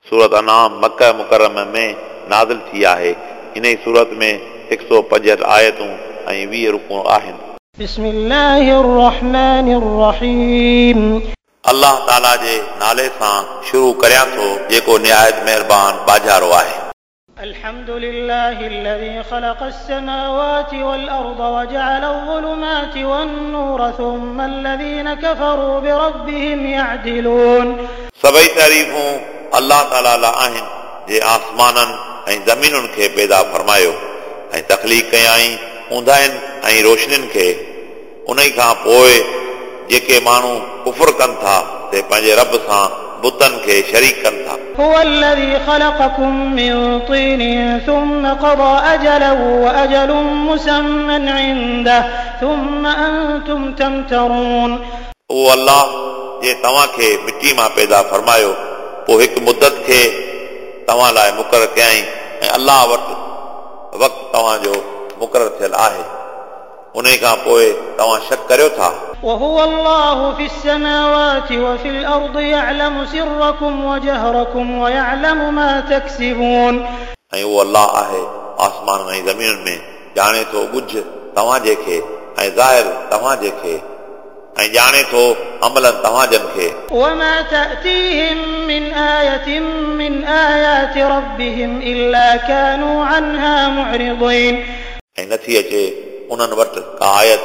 सूरत अनाम मक्का मुकर्रम में नाज़िल थी आहे। इन सूरत में 165 आयतूं ऐं 20 रुकू आहिनि। बिस्मिल्लाहिर्रहमानिर्रहीम। अल्लाह ताला जे नाले सां शुरू करियां थो जेको निहायत महिरबान बाजारो आहे। अल्हम्दुलिल्लाहिल्लज़ी खलक़स समावाति वल अर्द वजअल ज़ुलुमाति वन नूर सुम्मा अल्लज़ीना कफ़रू बिरब्बिहिम यअदिलून। सभई तारीफ़ूं अल्लाह ताला लाइ आहिनि जे आसमाननि ऐं ज़मीनुनि खे पैदा फरमायो ऐं तख़लीक़ कयाईं ऊंदाइनि ऐं रोशनियुनि खे। उन खां पोइ जेके माण्हू कुफुर कनि था ते पंहिंजे रब सां बुतनि खे शरीक कनि था। هو الذي خلقكم من طين ثم قضى أجلا وأجل مسمى عنده ثم أنتم تمترون। उहो अल्लाह जे तव्हांखे मिटी मां पैदा फरमायो पोइ हिकु मुदत खे तव्हां लाइ मुक़ररु कयाईं ऐं अल्लाह वटि वक़्तु तव्हांजो मुक़ररु थियल आहे। उन खां पोइ तव्हां शक करियो था। وهو الله في السماوات وفي الأرض يعلم سركم وجهركم ويعلم ما تكسبون। ऐं उहो अल्लाह आहे आसमान ऐं ज़मीन में ॼाणे थो ॻुझ तव्हांजे खे ऐं ज़ाहिर तव्हांजे खे ऐं ॼाणे थो अमलनि तव्हांजनि खे। وما تأتيهم من آية من آيات ربهم إلا كانوا عنها معرضين। ऐं नथी अचे उन्हनि वटि का आयत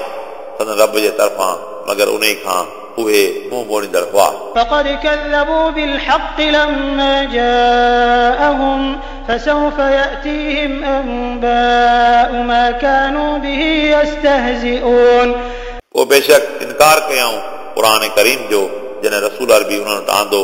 संदन रब जे तरफ़ां मगर उन खां उहे मुंहुं मोड़ींदड़ हुआ। فقد كذبوا بالحق لما جاءهم فسوف يأتيهم أنباء ما كانوا به يستهزئون। पोइ बेशक इनकार कयाऊं क़ुर करीम जो जॾहिं रसूल अरबी उन्हनि वटि आंदो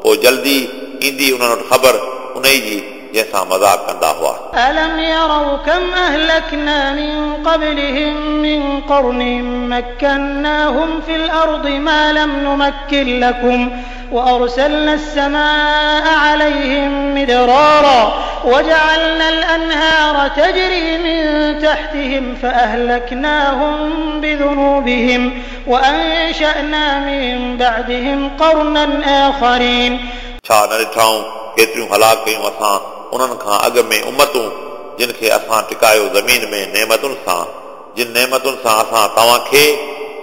पोइ जल्दी ईंदी उन्हनि वटि ख़बर उन जी जंहिंसां मज़ाक कंदा हुआ। ألم يروا كم أهلكنا من قبلهم من قرن مكناهم في الأرض ما لم نمكن لكم وأرسلنا السماء عليهم مدرارا وجعلنا الأنهار تجري من تحتهم فأهلكناهم بذنوبهم وأنشأنا من بعدهم قرنا آخرين। छा न ॾिठाऊं केतिरियूं हलाक कयूं असां उन्हनि खां अॻु में उमतूं जिन खे असां टिकायो ज़मीन में नेमतुनि सां, जिन नेमतुनि सां असां तव्हांखे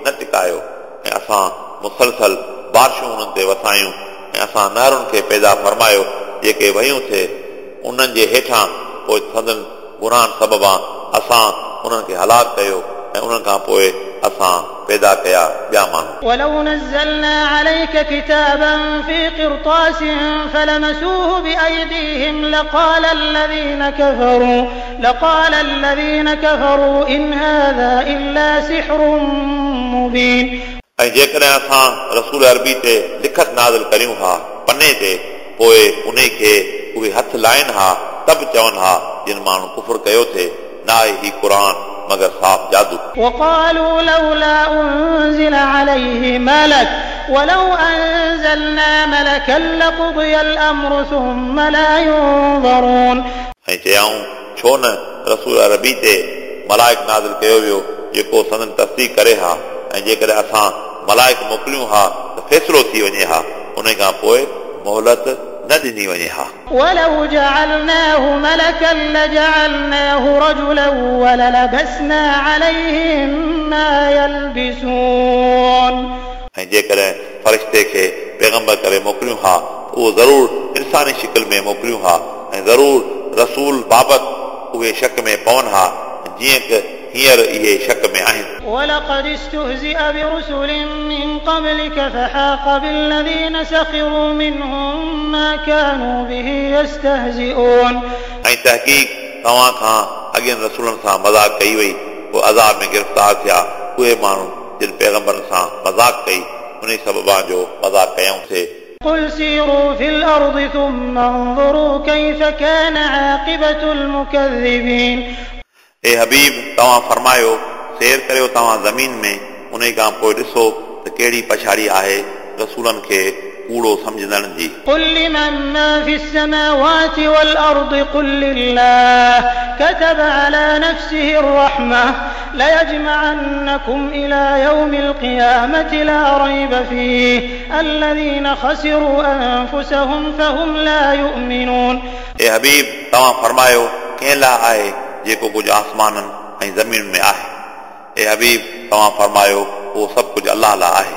न टिकायो ऐं असां मुसलसल बारिशूं उन्हनि ते वसायूं ऐं असां नहरुनि खे पैदा फरमायो जेके वहियूं थिए उन्हनि जे हेठां पोइ संदन गुनाहनि सबबां असां उन्हनि खे हलाक कयो ऐं उन्हनि खां पोइ असां पैदा कया ॿिया माण्हू। ولو نزلنا عليك كتابا في قرطاس فلمسوه بأيديهم لقال الذين كفروا إن هذا إلا سحر مبين। ऐं जेकॾहिं असां रसूल अरबी ते लिखत नाज़िल करियूं हा पने ते पोइ उन खे उहे हथ लाइनि हा त बि चवनि हा जिन माण्हू कुफुर कयो थिए न आहे ही क़ुर मगर साफ़ जादू। وقالوا لولا أنزل عليه ملك ولو أنزلنا ملكا لقضي الأمر ثم لا ينظرون। ऐं चयाऊं छो न रसूल अरबी ते मलाइक नाज़िल कयो वियो जेको संदन तस्दीक करे हा ऐं जेकॾहिं असां मलाइक मोकिलियूं हा त फ़ैसिलो थी वञे हा उन खां पोइ मोहलत न ॾिनी वञे हा। ولو جعلناه ملكا لجعلناه رجلا وللبسنا عليهم ما يلبسون। ऐं जेकॾहिं फ़रिश्ते खे पैगंबर करे मोकिलियूं हा उहो ज़रूर इंसानी शिकल में मोकिलियूं हा ऐं ज़रूर रसूल बाबति उहे शक में पवनि हा जीअं की हींअर इहे शक में आहिनि। ولقد استهزئ برسل من قبلك فحاق بالذين سخروا منهم ما كانوا به يستهزئون। ऐं तहक़ीक़ तव्हां खां अॻियनि रसूलनि सां मज़ाक कई वई पोइ अज़ाब में गिरफ़्तार थिया उहे माण्हू जिन पैगंबरनि सां मज़ाक कई उन सबबा जो मज़ाक कयऊं थे। قل سيروا في الأرض ثم انظروا كيف كان عاقبة المكذبين। ए हबीब तव्हां फरमायो सैर करियो तव्हां ज़मीन में उन खां पोइ ॾिसो त कहिड़ी पछाड़ी आहे रसूलनि खे कूड़ो सम्झंदड़नि जी। قل لمن ما في السماوات والأرض قل لله كتب على نفسه الرحمة ليجمعنكم إلى يوم القيامة لا ريب فيه الذين خسروا أنفسهم فهم لا يؤمنون। ए हबीब, तव्हां फरमायो कंहिं लाइ आहे जेको कुझु आसमाननि ऐं ज़मीन में आहे? ए हबीब, तव्हां फरमायो उहो सभु कुझु अलाह लाइ आहे।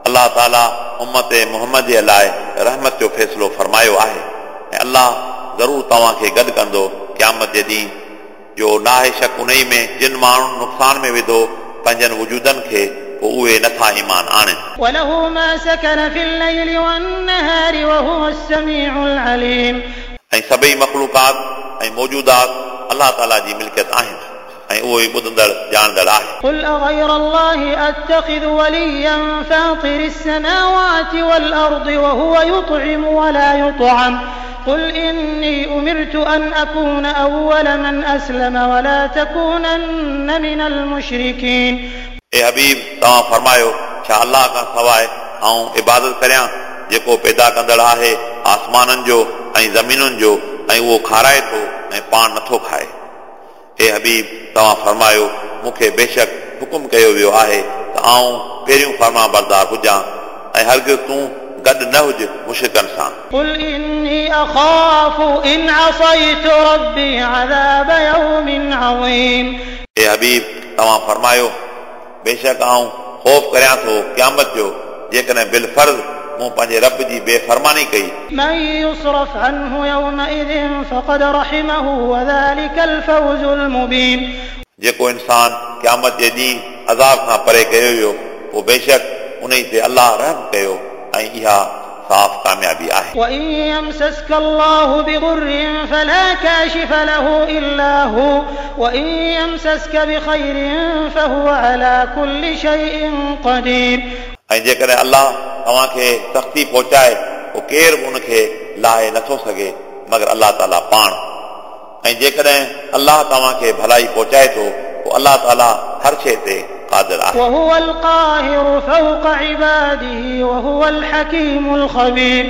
अलाह ताला उम्मत मोहम्मद जे लाइ रहमत जो फ़ैसिलो फरमायो आहे ऐं अलाह ज़रूरु तव्हांखे गॾु कंदो क़यामत जे ॾींहुं, जो नाहे शक उन में जिन माण्हुनि नुक़सान में विधो पंहिंजनि वजूदनि खे, पोइ उहे नथा ईमान आणनि। وله ما سكن في الليل والنهار وهو السميع العليم। ऐं सभई मख़लूक़ात ऐं मौजूदात अलाह ताला जी मिल्कियत आहिनि ऐं उहो ई ॿुधंदड़ ॼाणंदड़ आहे। قل أغير الله أتخذ وليا فاطر السماوات والأرض وهو يطعم ولا يطعم قل إني أمرت أن أكون أول من أسلم ولا تكونن من المشركين। ए हबीब, तव्हां फरमायो छा अलाह खां सवाइ आउं इबादत करियां जेको पैदा कंदड़ आहे आसमाननि जो ऐं ज़मीनुनि जो, ऐं उहो खाराए थो ऐं पाण नथो खाए? ए हबीब, तव्हां फरमायो मूंखे बेशक हुकुम कयो वियो आहे त आउं पहिरियों फरमा बरदार हुजां ऐं हरगिज़ तूं गॾु न हुज मुशिकनि सां। قل إني أخاف إن عصيت ربي عذاب يوم عظيم। ए हबीब, तव्हां फरमायो बेशक आउं ख़ौफ़ करियां थो क़यामत जो, जेकॾहिं बिलफ़र्ज़ मूं पंहिंजे रब जी बेफरमानी कई। من يصرف عنه يومئذ فقد رحمه وذلك الفوز المبين। जेको इंसान क़यामत जे ॾींहुं अज़ाब खां परे कयो वियो, पोइ बेशक उन ते अलाह रहम कयो ऐं इहा साफ़ कामयाबी आहे। وإن يمسسك الله بضر فلا كاشف له إلا هو وإن يمسسك بخير فهو على كل شيء قدير। ऐं जेकॾहिं अलाह तव्हांखे सख़्ती पहुचाए, पोइ केरु बि उनखे लाहे नथो सघे मगर अलाह ताला पाण। ऐं जेकॾहिं अलाह तव्हांखे भलाई पहुचाए थो, पोइ अलाह ताला हर शइ ते क़ादिर आहे। وهو القاهر فوق عباده وهو الحكيم الخبير।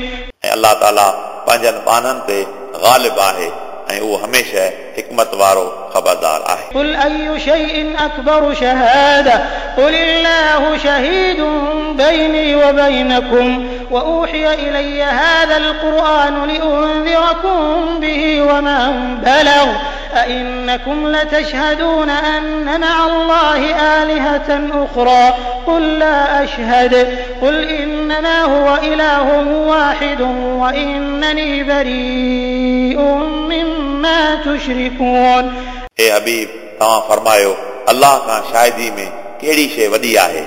ऐं अलाह ताला पंहिंजनि ॿान्हनि ते ग़ालिब आहे ऐं उहो हमेशह हिकमत वारो ख़बरदार आहे। قل أي شيء أكبر شهادة قل الله شهيد بيني وبينكم وأوحي إلي هذا القرآن لأنذركم به ومن بلغ أئنكم لتشهدون أن مع الله آلهة أخرى قل لا أشهد قل إنما هو إله واحد وإنني بريء مما تشركون। ए हबीब, तव्हां फरमायो अलाह खां शाहिदी में कहिड़ी शइ वॾी आहे?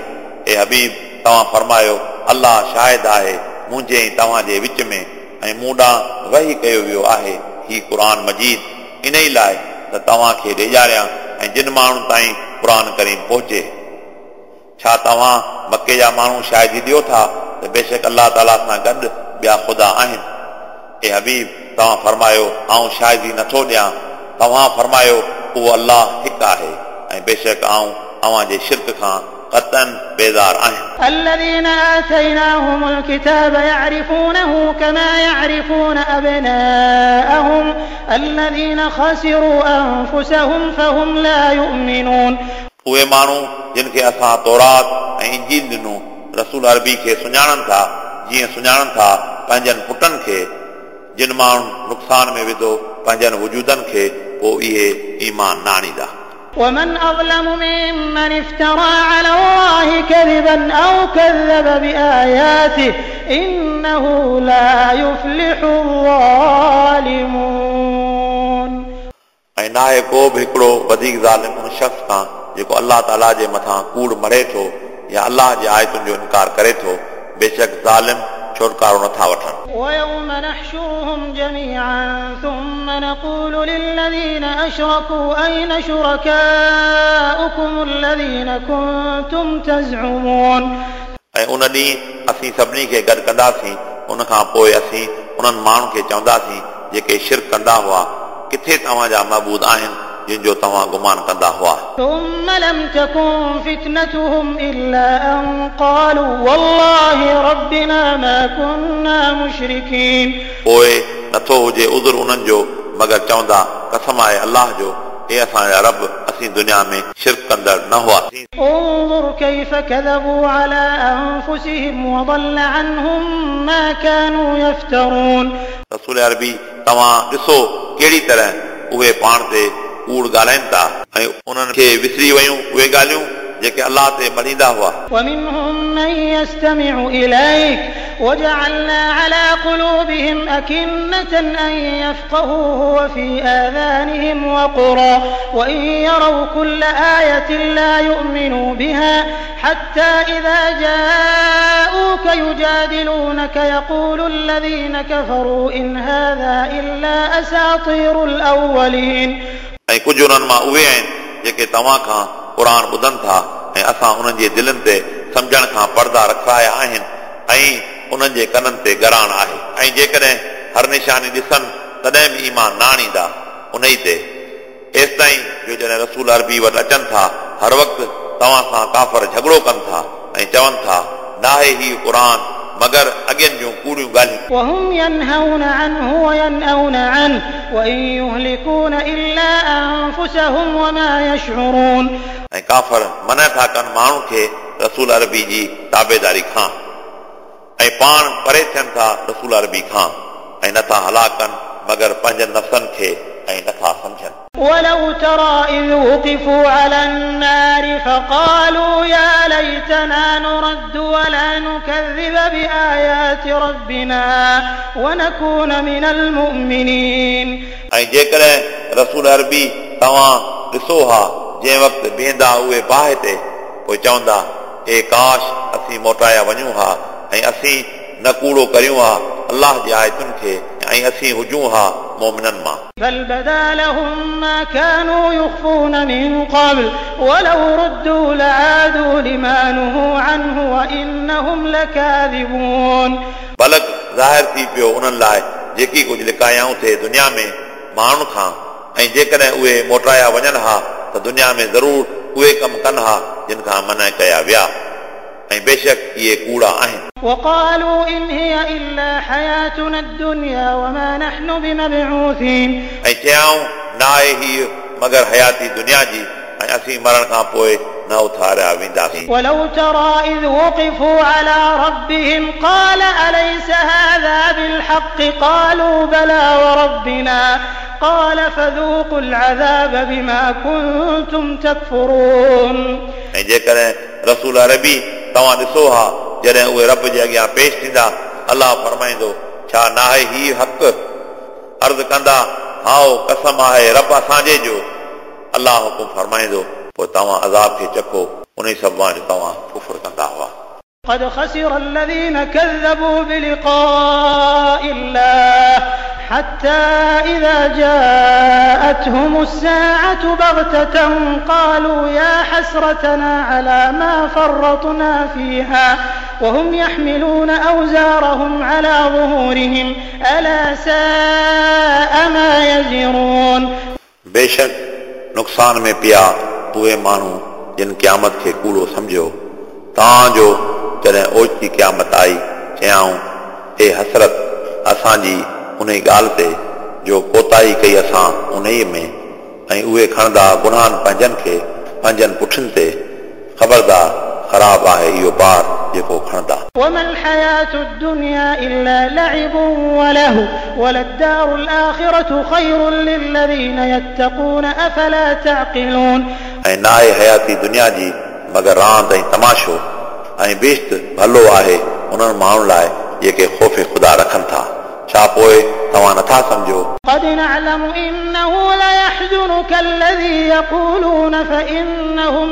ए हबीब, तव्हां फरमायो अलाह शाहिद आहे मुंहिंजे ऐं तव्हांजे विच में, ऐं मूं ॾांहुं वही कयो वियो आहे ही क़ुर मजीद इन ई लाइ त तव्हांखे ॾेजारियां ऐं जिन माण्हुनि ताईं क़ुर करीम पहुचे। छा तव्हां मक्के जा माण्हू शाहिदी ॾियो था त बेशक अलाह ताला सां गॾु ॿिया ख़ुदा आहिनि? ए हबीब, तव्हां फरमायो आउं शाहिदी नथो ॾियां। तव्हां फरमायो उहो अलाह हिकु आहे ऐं बेशक आउं अव्हांजे शिर्क खां क़तन बेज़ार आहियां। الذين آتيناهم الكتاب يعرفونه كما يعرفون أبناءهم الذين خسروا أنفسهم فهم لا يؤمنون। उहे माण्हू जिन खे असां तौरात ऐं इंजील ॾिनो, रसूल अरबी खे सुञाणनि था जीअं सुञाणनि था पंहिंजनि पुटनि खे। जिन माण्हुनि नुक़सान में विधो पंहिंजनि वजूदनि खे, पोइ इहे ईमान न आणींदा। ومن أظلم ممن افترى على الله كذبا أو كذب بآياته إنه لا يفلح الظالمون। ऐं नाहे को बि हिकिड़ो वधीक ज़ालिम उन शख़्स खां जेको अलाह ताला जे मथां कूड़ मढ़े थो या अलाह जे आयतुनि जो इनकार करे थो। बेशक ज़ालिम छुटकारो नथा वठनि। ويوم نحشرهم جميعا ثم نقول للذين أشركوا أين شركاؤكم الذين كنتم تزعمون। ऐं उन ॾींहुं असीं सभिनी खे गॾु कंदासीं, उन खां पोइ असीं उन्हनि माण्हुनि खे चवंदासीं जेके शिर्क कंदा हुआ, किथे तव्हांजा महबूद आहिनि जिन जो तव्हां गुमान कंदा हुआ। ثم لم تكن فتنتهم إلا أن قالوا والله ربنا ما كنا مشركين। पोइ नथो हुजे उज़ुर उन्हनि जो मगर चवंदा कसम आहे अलाह जो, हे असांजा रब, असीं दुनिया में शिरक कंदड़ न हुआसीं। انظر كيف كذبوا على أنفسهم وضل عنهم ما كانوا يفترون। रसूल अरबी तव्हां ॾिसो कहिड़ी तरह उहे पाण ते कूड़ ॻाल्हाइनि था ऐं उन्हनि खे विसरी वयूं उहे ॻाल्हियूं जेके अलाह ते मञींदा हुआ। ومنهم من يستمع إليك وجعلنا على قلوبهم أكنة أن يفقهوه وفي آذانهم وقرا وإن يروا كل آية لا يؤمنوا بها حتى إذا جاءوك يجادلونك يقول الذين كفروا إن هذا إلا أساطير الأولين। ऐं कुझु उन्हनि मां उहे आहिनि जेके तव्हां खां क़ुर ॿुधनि था ऐं असां उन्हनि जे दिलनि ते सम्झण खां पर्दा रखाया आहिनि ऐं उन्हनि जे कननि ते ॻराण आहे ऐं जेकॾहिं हर निशानी ॾिसनि तॾहिं बि ईमान न आणींदा उन ई ते, एसि ताईं जो जॾहिं रसूल अरबी वटि अचनि था हर वक़्तु तव्हां सां काफ़र झगड़ो कनि था ऐं चवनि था नाहे हीउ क़ुर मगर अॻियनि जूं कूड़ियूं ॻाल्हियूं। وهم ينهون عنه وينأون عنه وإن يهلكون إلا أنفسهم وما يشعرون। ऐं काफ़र मना था कनि माण्हू खे रसूल अरबी जी ताबेदारी खां ऐं पाण परे थियनि था रसूल अरबी खां ऐं नथा हलाक कनि मगर पंहिंजनि नफ़्सनि खे ऐं नथा सम्झनि। ولو ترى إذ وقفوا على النار فقالوا يا ليتنا نرد ولا نكذب بآيات ربنا ونكون من المؤمنين। ऐं जेकॾहिं रसूल अरबी तव्हां ॾिसो हा जंहिं वक़्तु बीहंदा उहे बाहि ते, पोइ चवंदा ए काश असीं मोटाया वञूं हा ऐं असीं न कूड़ो करियूं हा अलाह जे आयतुनि खे ऐं असीं हुजूं हा मोमिननि मां। بل بدا لهم ما كانوا يخفون من قبل ولو ردوا لعادوا لما نهوا عنه وإنهم لكاذبون। बलक ज़ाहिर थी पियो उन्हनि लाइ जेकी कुझु लिकायाऊं थे दुनिया में माण्हुनि खां ऐं जेकॾहिं उहे मोटाया वञनि हा त दुनिया में ज़रूर उहे कमु कनि हा जिन खां मना कया विया ऐं बेशक इहे कूड़ा आहिनि। وقالوا إن هي إلا حياتنا الدنيا وما نحن بمبعوثين। ऐं चयाऊं न आहे हीअ मगर हयाती दुनिया जी ऐं असीं मरण खां पोइ न उथारिया वेंदासीं। ولو ترى إذ وقفوا على ربهم قال أليس هذا بالحق قالوا بلى وربنا قال فذوقوا العذاب بما كنتم تكفرون। ऐं जेकॾहिं रसूल अरबी तव्हां ॾिसो हा जॾहिं उहे रब जे अॻियां पेश थींदा, अलाह फरमाईंदो छा नाहे हीउ हक़? अर्ज़ कंदा हाओ कसम आहे रब असांजे जो। अलाह हुकुम फरमाईंदो पोइ तव्हां अज़ाब खे चखो उन ई सबब जो तव्हां कुफर कंदा हुआ। قد خسر الذين كذبوا بلقاء الله حتى إذا جاءتهم الساعة بغتة قالوا يا حسرتنا على ما فرطنا فيها وهم يحملون أوزارهم على ظهورهم ألا ساء ما يزرون। बेशक नुक़सान में पिया उहे माण्हू जिन क़यामत खे कूड़ो सम्झियो, तव्हांजो जॾहिं ओचिती क़यामत आई चयाऊं ए हसरत असांजी उन ॻाल्हि ते जो कोताही कई असां उन में, ऐं उहे खणंदा गुनाहनि पंहिंजनि खे पंहिंजनि पुठियुनि ते। ख़बरदार ख़राब आहे इहो बार जेको खणंदा। وما الحياة الدنيا إلا لعب ولهو وللدار الآخرة خير للذين يتقون أفلا تعقلون। ऐं न आहे हयाती दुनिया जी मगर रांदि ऐं तमाशो, ऐं बेश्त भलो आहे उन्हनि माण्हुनि लाइ जेके ख़ौफ़ ख़ुदा रखनि था। छा पोइ तव्हां नथा सम्झो? قد نعلم إنه ليحزنك الذي يقولون فإنهم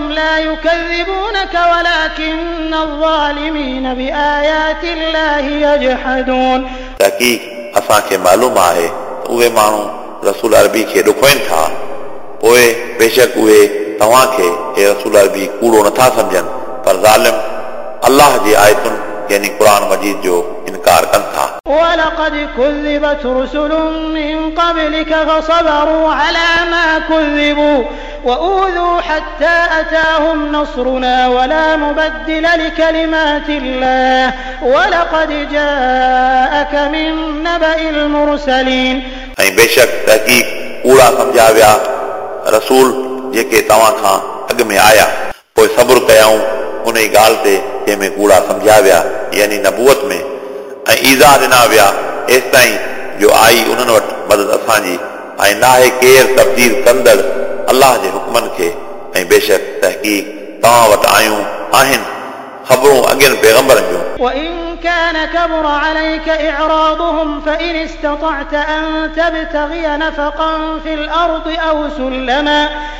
لا يكذبونك ولكن الظالمين بآيات الله يجحدون. तहक़ीक़ असांखे मालूम आहे त उहे माण्हू रसूल अरबी खे ॾुखोइनि था, पोइ बेशक उहे तव्हांखे हे रसूल अरबी कूड़ो नथा सम्झनि, पर ज़ालिम अलाह जी आयतुनि यानी क़ुर मजीद जो इनकार कनि था। ولقد ولقد كذبت رسل من قبلك فصبروا على ما كذبوا وأوذوا حتى أتاهم نصرنا ولا مبدل لكلمات الله ولقد جاءك من نبأ المرسلين. ऐं बेशक तहक़ीक़ कूड़ा सम्झा विया रसूल जेके तव्हां खां अॻु में आया, पोइ सब्र कयाऊं उन ई ॻाल्हि ते जंहिंमें कूड़ा सम्झा विया, यानी नबूअत में, ऐं ईज़ा ॾिना विया एसि ताईं जो आई उन्हनि वटि मदद असांजी, ऐं नाहे केरु तब्दील कंदड़ अलाह जे हुकमनि खे, ऐं बेशक तहक़ीक़ तव्हां वटि आयूं आहिनि ख़बरूं अॻियनि पैगंबरनि जूं। وإن كان كبر عليك إعراضهم فإن استطعت أن تبتغي نفقا في الأرض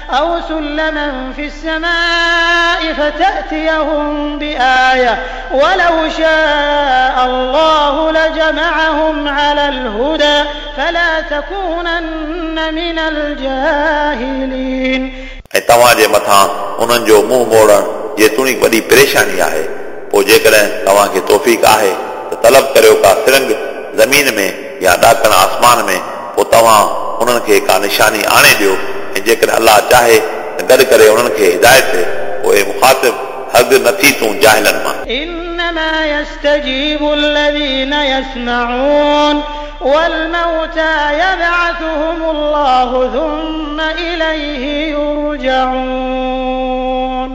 أو سلما في السماء فتأتيهم بآية ولو شاء الله لجمعهم على الهدى فلا تكونن من الجاهلين. ऐं तव्हांजे मथां उन्हनि जो मुंहुं मोड़णु जेतोणीकि वॾी परेशानी आहे, पोइ जेकॾहिं तव्हांखे तौफ़ीक़ आहे त तलब करियो का सिरंग ज़मीन में या ॾाकण आसमान में, पोइ तव्हां उन्हनि खे का निशानी आणे ॾियो, ऐं जेकॾहिं अलाह चाहे त गॾु करे उन्हनि खे हिदायत ते, पोइ मुखातिब हद न थी तूं जाहिलनि मां। إنما يستجيب الذين يسمعون والموتى يبعثهم الله ثم إليه يرجعون.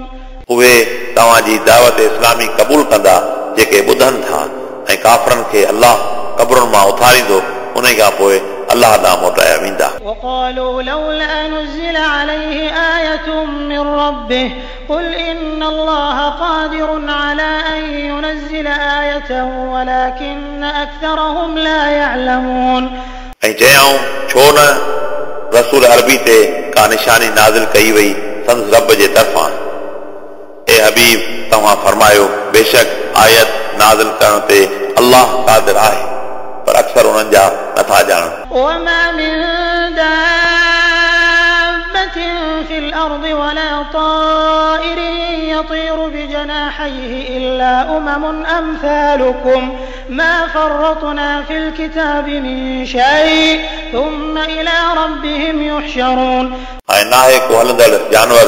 उहे तव्हांजी दावत इस्लामी क़बूल कंदा जेके ॿुधनि था, ऐं काफ़रनि खे अलाह क़बरुनि मां उथारींदो, उन खां पोइ अलाह ॾांहुं मोटाया वेंदा। وقالوا لولا نزل عليه آية من ربه قل إن الله قادر على أن ينزل آية ولكن أكثرهم لا يعلمون. ऐं चयाऊं छो न रसूल अरबी ते का निशानी नाज़िल कई वई संदसि रब जे तरफ़ां। ए हबीब तव्हां फरमायो बेशक आयत नाज़िल करण ते अलाह क़ादिर आहे, पर अक्सर उन्हनि जा नथा ॼाणनि। وما من دابة في الأرض ولا طائر يطير بجناحيه إلا أمم أمثالكم ما فرطنا في الكتاب من شيء ثم إلى ربهم يحشرون. ऐं नाहे को हलंदड़ जानवर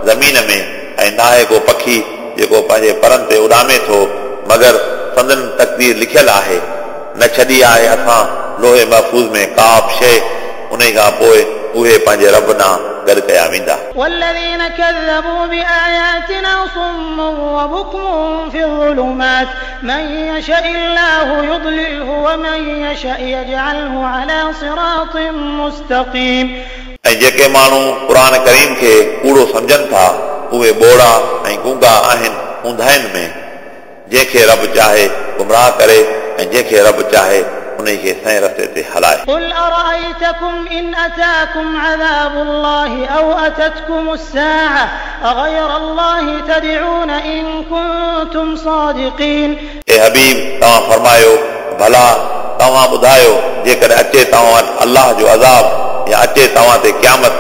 ज़मीन में, ऐं नाहे को पखी जेको पंहिंजे परनि ते उॾामे थो, मगर संदन तक़दीर लिखियल आहे। न छॾी आहे असां लोहे महफ़ूज़ में का बि शइ, उन खां पोइ उहे पंहिंजे रब ॾांहुं गॾु कया वेंदा। والذين كذبوا بآياتنا صم وبكم في الظلمات من يشاء الله يضلله ومن يشاء يجعله على صراط مستقيم. ऐं जेके माण्हू क़ुर करीम खे कूड़ो सम्झनि था उहे ॿोड़ा ऐं गूंगा आहिनि ऊंधाइनि में, जंहिंखे रब चाहे गुमराह करे ऐं जंहिंखे रब चाहे उन खे सही रस्ते ते हलाए। قل أرأيتكم إن أتاكم عذاب الله أو أتتكم الساعة أغير الله تدعون إن كنتم صادقين. ए हबीब तव्हां फरमायो भला तव्हां ॿुधायो जेकॾहिं अचे तव्हां वटि अलाह जो अज़ाब या अचे तव्हां ते क़यामत,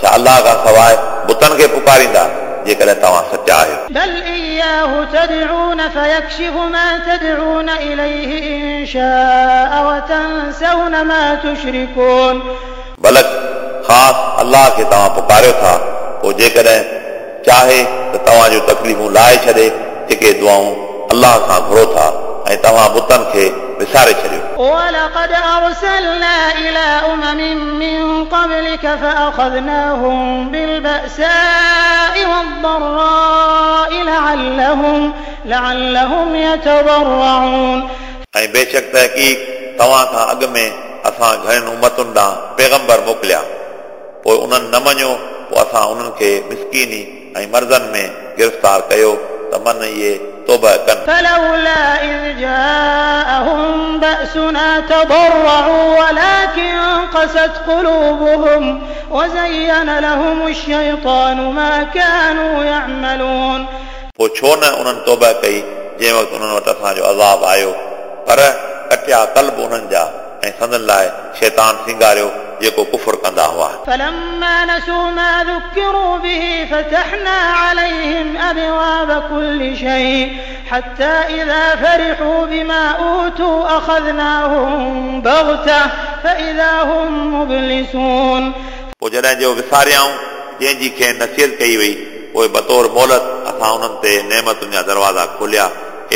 छा अलाह खां सवाइ बुतनि खे पुकारींदा जेकॾहिं तव्हां सचा आहियो? بل إياه تدعون فيكشف ما تدعون إليه إن شاء وتنسون ما تشركون. बलक ख़ासि अलाह खे तव्हां पुकारियो था, पोइ जेकॾहिं चाहे त तव्हां जूं तकलीफ़ूं लाहे छॾे जेके दुआऊं अलाह खां घुरो था, ऐं तव्हां बुतनि खे विसारे छॾियो। ولقد أرسلنا إلى أمم من قبلك فأخذناهم بالبأساء والضراء لعلهم يتضرعون. ऐं बेशक तहक़ीक़ तव्हां खां अॻु में असां घणनि उम्मतुनि ॾांहुं पैगंबर मोकिलिया, पोइ उन्हनि न मञियो, पोइ असां उन्हनि खे मिसकीनी ऐं मर्ज़नि में गिरफ़्तार कयो त मन इहे तौबा कनि। فلولا إذ جاءهم بأسنا تضرعوا ولكن قست قلوبهم وزين لهم الشيطان ما كانوا يعملون. पोइ छो न उन्हनि तौबा कई जंहिं वक़्तु उन्हनि वटि असांजो अज़ाब आयो, पर कटिया कल्ब उन्हनि जा ऐं संदन लाइ शैतान सिंगारियो जेको कुफर कंदा हुआ। فلما نسوا ما ذكروا به فتحنا عليهم أبواب كل شيء حتى إذا فرحوا بما أوتوا أخذناهم بغتة فإذا هم مبلسون। पोइ जॾहिं जो विसारियाऊं जंहिंजी खेनि नसीहत कई वई, पोइ बतौर मोहलत असां उन्हनि ते नेमतुनि जा दरवाज़ा खोलिया,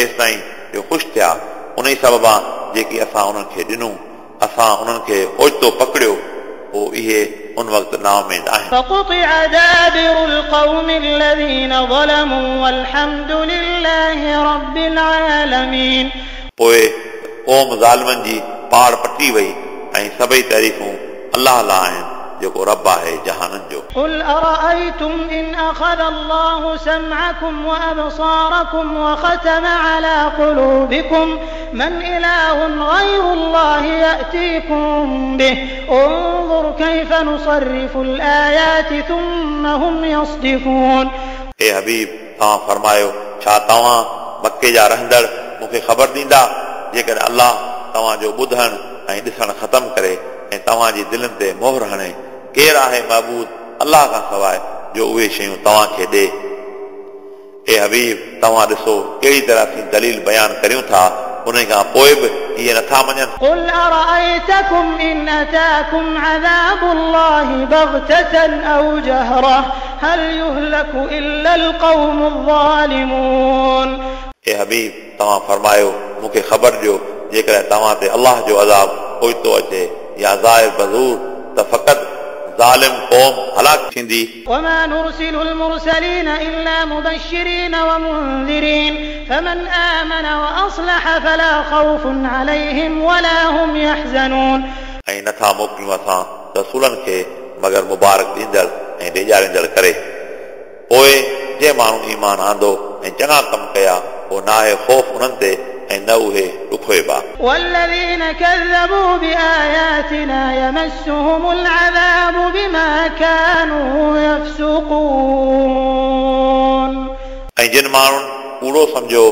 एसि ताईं जो ख़ुशि थिया उन ई सबबा जेकी असां उन्हनि खे ॾिनो, असां उन्हनि खे ओचितो पकड़ियो, पोइ इहे उन वक़्तु नाउमेद आहिनि। فقطع دابر القوم الذين ظلموا والحمد لله رب العالمين। पोइ क़ौम ज़ालिमनि जी पाड़ पटी वई ऐं सभई तारीफ़ूं अलाह लाइ आहिनि जेको रब आहे जहाननि जो। قل أرأيتم إن أخذ الله سمعكم وأبصاركم وختم على قلوبكم من إله غير الله يأتيكم به انظر كيف نصرف الآيات ثم هم يصدفون। ए हबीब, तव्हां फरमायो, छा तव्हां मक्के जा रहंदड़ मूंखे ख़बर ॾींदा जेकॾहिं अलाह तव्हांजो ॿुधण ऐं ॾिसण ख़तमु करे ऐं तव्हांजी दिलनि ते मोहर हणे, केरु आहे महबूद अलाह खां सवाइ जो उहे शयूं तव्हांखे ॾे? ए हबीब, तव्हां ॾिसो कहिड़ी तरह असीं दलील बयानु करियूं था, उन खां पोइ बि इहे नथा मञनि। قل أرأيتكم إن أتاكم عذاب الله بغتة أو جهرة هل يهلك إلا القوم الظالمون। ए हबीब, तव्हां फरमायो, मूंखे ख़बर ॾियो जेकॾहिं तव्हां ते अलाह जो अज़ाब ओचितो अचे या ज़ाहिर बज़ूर, त फ़क़ति ज़ालिम क़ौम हलाक थींदी। وما نرسل المرسلين إلا مبشرين ومنذرين فمن آمن وأصلح فلا خوف عليهم ولا هم يحزنون। ऐं नथा मोकिलियूं असां रसूलनि खे मगर मुबारक ॾींदड़ ऐं ॾेजारींदड़ करे। पोइ जंहिं माण्हू ईमान आंदो ऐं चङा कम कया, पोइ न आहे ख़ौफ़ उन्हनि ते ऐं न उहे ॾुखोइबा। والذين كذبوا بآياتنا يمسهم العذاب بما كانوا يفسقون। ऐं जिन माण्हुनि कूड़ो सम्झो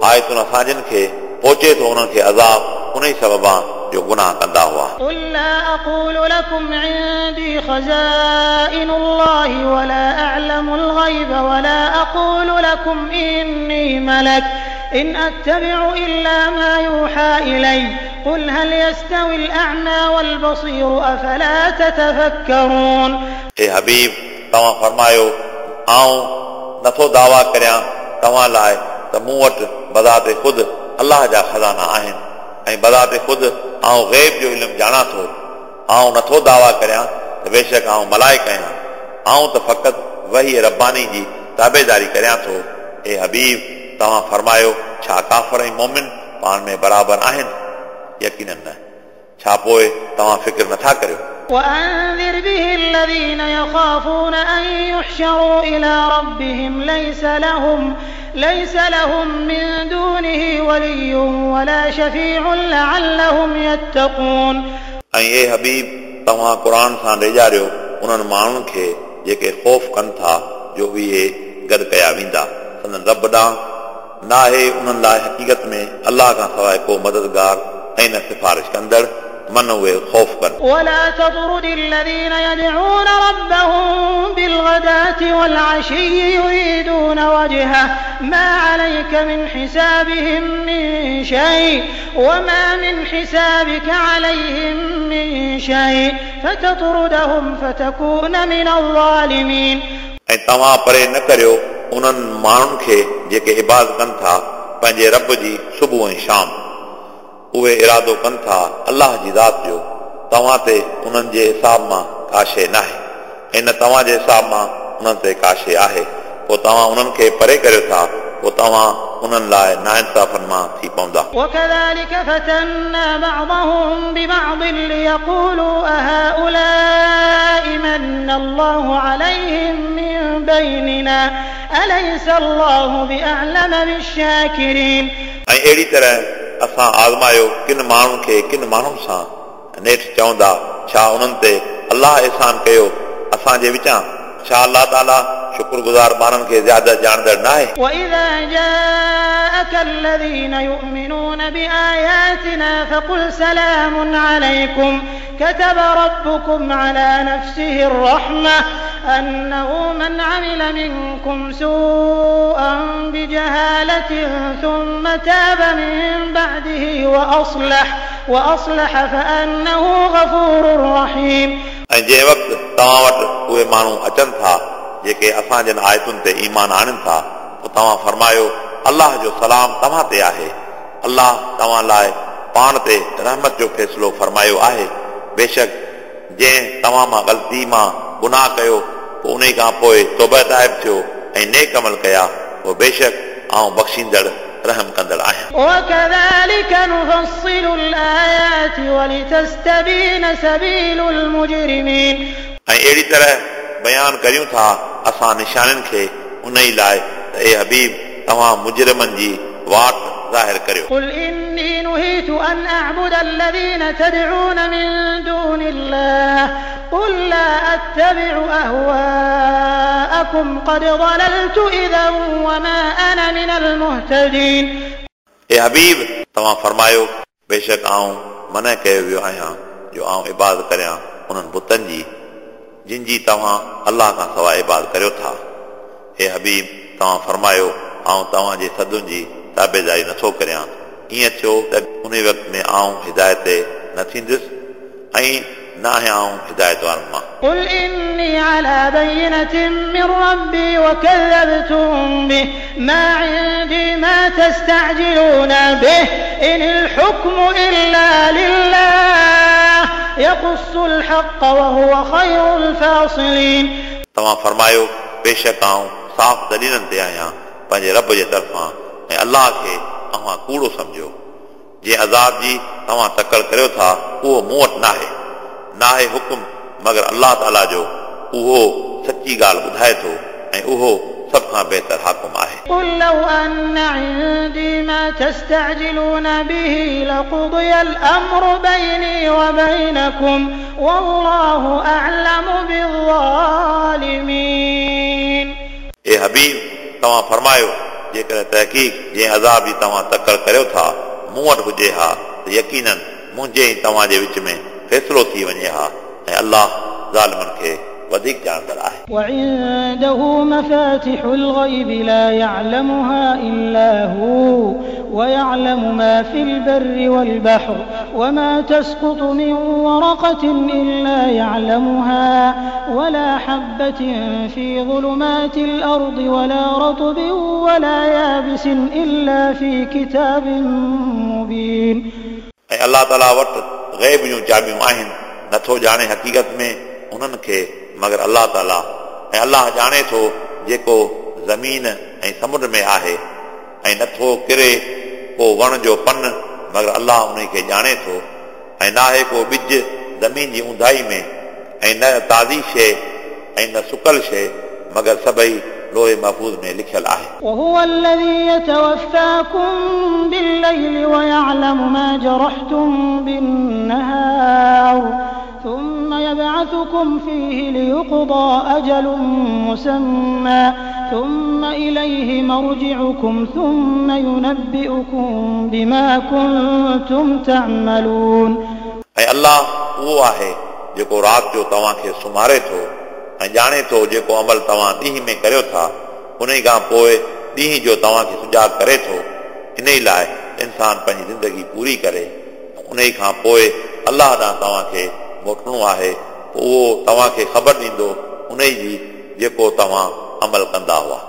आयतुनि असांजनि खे, पहुचे थो उन्हनि खे अज़ाब उन ई सबबा जो गुनाह कंदा हुआ। قل لا أقول لكم عندي خزائن الله ولا أعلم الغيب ولا أقول لكم إني ملك إن أتبع إلا ما يوحى إلي قل هل يستوي الأعمى والبصير أفلا تتفكرون। ए हबीब, तव्हां फरमायो, आउं नथो दावा करियां तव्हां लाइ त मूं वटि बज़ाते ख़ुदि अलाह जा ख़ज़ाना आहिनि ऐं बज़ाते ख़ुदि आउं ग़ैब जो इल्मु ॼाणां थो। आउं नथो दावा करियां त बेशक आउं मलाइक आहियां, आउं त फ़क़ति वही रब्बानी जी ताबेदारी करियां थो। ए हबीब, तव्हां फरमायो, छा काफ़र ऐं मोमिन पाण में बराबरि आहिनि? यकीनन न। छा पोइ तव्हां फ़िक्र नथा करियो? وأنذر به الذين يخافون أن يحشروا إلى ربهم ليس لهم من دونه ولي ولا شفيع لعلهم يتقون। ऐं ए हबीब, तव्हां क़ुर सां ॾेजारियो उन्हनि माण्हुनि खे जेके ख़ौफ़ कनि था जो इहे गॾु कया वेंदा संदन रब ॾांहुं। न आहे उन्हनि लाइ हक़ीक़त में अलाह खां सवाइ को मददगार ऐं न सिफारिश कंदड़, मन उहे ख़ौफ़ कनि। ولا تطرد الذين يدعون ربهم بالغداة والعشي يريدون وجهه ما عليك من حسابهم من شيء وما من حسابك عليهم من شيء فتطردهم فتكون من الظالمين। ऐं तव्हां परे न करियो उन्हनि माण्हुनि खे जेके इबादत कनि था पंहिंजे रब जी सुबुह ऐं शाम, उहे इरादो कनि था अलाह जी ज़ात जो। तव्हां ते उन्हनि जे हिसाब मां का शइ नाहे ऐं न तव्हांजे हिसाब मां उन्हनि ते का शइ आहे, पोइ तव्हां उन्हनि खे परे करियो था, पोइ तव्हां उन्हनि लाइ नाइंसाफ़नि मां थी पवंदा। وكذلك فتنا بعضهم ببعض ليقولوا أهؤلاء من الله عليهم من بيننا أليس الله بأعلم بالشاكرين। ऐं अहिड़ी तरह असां आज़मायो किन माण्हुनि खे किन माण्हुनि सां, नेठि चवंदा, छा उन्हनि ते अलाह अहसान कयो असांजे विचां? छा अलाह ताला शुक्रगुज़ार ॿारनि खे ज़्यादा ॼाणंदड़ न आहे? وإذا جاءك الذين يؤمنون بآياتنا فقل سلام عليكم كتب ربكم على نفسه الرحمة أنه من عمل منكم سوءا بجهالة ثم تاب من بعده وأصلح فأنه غفور رحيم. ऐं जंहिं वक़्तु तव्हां वटि उहे माण्हू अचनि था जेके असां जन आयतुनि ते ईमान आणनि था, पोइ तव्हां फरमायो, अलाह जो सलाम तव्हां ते आहे। अलाह तव्हां लाइ पाण ते रहमत जो फ़ैसिलो फरमायो आहे। बेशक जंहिं तव्हां मां ग़लती मां गुनाह कयो, पोइ उन खां पोइ तौबा ताइब थियो ऐं नेक अमल कया, पोइ बेशक आउं बख़्शींदड़ रहम कंदड़ आहियां। وكذلك نفصل الآيات ولتستبين سبيل المجرمين. ऐं अहिड़ी तरह बयान करियूं था असां निशानियुनि खे उन ई लाइ त ए हबीब, तव्हां मुजरिमनि जी वाट ज़ाहिर करियो। قل إني نهيت أن أعبد الذين تدعون من دون الله قل لا أتبع أهواءكم قد ضللت إذا وما أنا من المهتدين. ए हबीब, तव्हां फरमायो, बेशक आउं मना कयो वियो आहियां जो आउं इबादत करियां उन्हनि बुतनि जी जिन जी तव्हां अलाह खां सवाइ इबादत करियो था। ए हबीब, तव्हां फरमायो, आउं तव्हांजे सदुनि जी ताबेदारी नथो करियां। ईअं थियो त उन वक़्त में आउं हिदायत ते न थींदुसि ऐं न आहियां आउं हिदायत वारनि मां। قل إني على بينة من ربي وكذبتم به ما عندي ما تستعجلون به إن الحكم إلا لله يقص الحق وهو خير الفاصلين. तव्हां फरमायो, बेशक आउं साफ़ दलीलनि ते आहियां पंहिंजे रब जे तरफ़ां ऐं अलाह खे अव्हां कूड़ो सम्झो। जंहिं अज़ाब जी तव्हां तकड़ करियो था उहो मूं वटि नाहे, नाहे हुकुम मगर अलाह ताला जो, उहो सची ॻाल्हि ॿुधाए थो ऐं उहो सभ खां बहितर हाकिम आहे। قل لو أن عندي ما تستعجلون به لقضي الأمر بيني وبينكم والله أعلم بالظالمين. ए हबीब, तव्हां फरमायो, जेकॾहिं तहक़ीक़ जंहिं अज़ाब जी तव्हां तकड़ करियो था मूं वटि हुजे हा त यकीनन मुंहिंजे ऐं तव्हांजे विच में फ़ैसिलो थी वञे हा ऐं अलाह ज़ालिमनि खे वधीक ॼाणंदड़ आहे। وعنده مفاتح الغيب لا يعلمها إلا هو ويعلم ما في البر والبحر وما تسقط من ورقة إلا يعلمها ولا حبة في ظلمات الأرض ولا رطب ولا يابس إلا في كتاب مبين. ऐं अलाह ताला वटि ग़ैब जूं चाबियूं आहिनि, नथो ॼाणे हक़ीक़त में उन्हनि खे मगर अलाह ताला, ऐं अलाह ॼाणे थो जेको ज़मीन ऐं समुंड में आहे, ऐं नथो किरे को वण जो पन मगर अलाह उन खे ॼाणे थो, ऐं नाहे को ॿिज ज़मीन जी ऊंधाई में, ऐं न ताज़ी शइ ऐं न सुकल शइ मगर सभई लोहे महफ़ूज़ में लिखियल आहे। وهو الذي يتوفاكم بالليل ويعلم ما جرحتم بالنهار ثم يبعثكم فيه ليقضى أجل مسمى ثم إليه مرجعكم ثم ينبئكم بما كنتم تعملون. ऐं अलाह उहो आहे जेको राति जो तव्हांखे सुम्हारे थो ऐं ॼाणे थो जेको अमल तव्हां ॾींहं में करियो था, उन खां पोइ ॾींहं जो तव्हांखे सुजाग करे थो, इन ई लाइ इंसान पंहिंजी ज़िंदगी पूरी करे। उन खां पोइ अलाह ॾांहुं तव्हांखे मोटणो आहे, पोइ उहो तव्हांखे ख़बर ॾींदो उन जी जेको तव्हां अमल कंदा हुआ।